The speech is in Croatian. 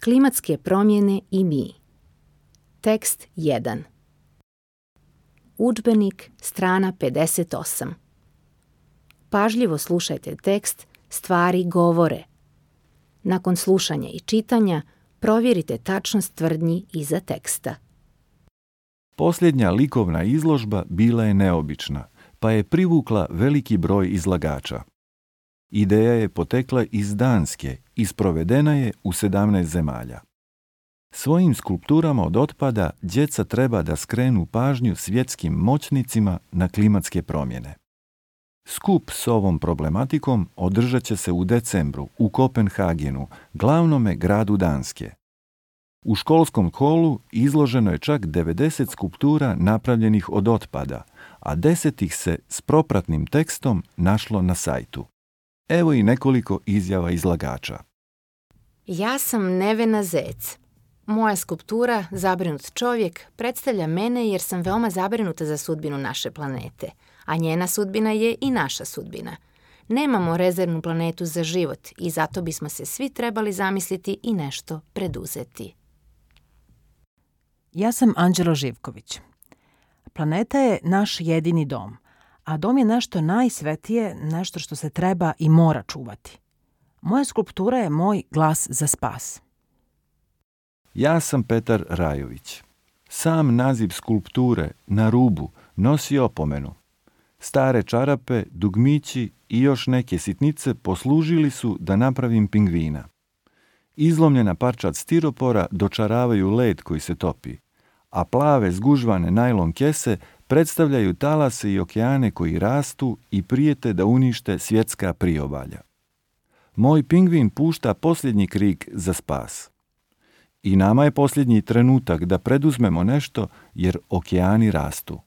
Klimatske promjene i mi. Tekst 1. Udžbenik, strana 58. Pažljivo slušajte tekst Stvari govore. Nakon slušanja i čitanja provjerite tačnost tvrdnji iza teksta. Posljednja likovna izložba bila je neobična, pa je privukla veliki broj izlagača. Ideja je potekla iz Danske i sprovedena je u 17 zemalja. Svojim skulpturama od otpada djeca treba da skrenu pažnju svjetskim moćnicima na klimatske promjene. Skup s ovom problematikom održat će se u decembru u Kopenhagenu, glavnome gradu Danske. U školskom holu izloženo je čak 90 skulptura napravljenih od otpada, a 10 ih se s propratnim tekstom našlo na sajtu. Evo i nekoliko izjava izlagača. Ja sam Nevena Zec. Moja skulptura, Zabrinut čovjek, predstavlja mene jer sam veoma zabrinuta za sudbinu naše planete, a njena sudbina je i naša sudbina. Nemamo rezervnu planetu za život i zato bismo se svi trebali zamisliti i nešto preduzeti. Ja sam Anđelo Živković. Planeta je naš jedini dom, a dom je nešto najsvetije, nešto što se treba i mora čuvati. Moja skulptura je moj glas za spas. Ja sam Petar Rajović. Sam naziv skulpture Na rubu nosi opomenu. Stare čarape, dugmići i još neke sitnice poslužili su da napravim pingvina. Izlomljena parčad stiropora dočaravaju led koji se topi, a plave zgužvane najlon kese predstavljaju talase i okeane koji rastu i prijete da unište svjetska priobalja. Moj pingvin pušta posljednji krik za spas. I nama je posljednji trenutak da preduzmemo nešto jer okeani rastu.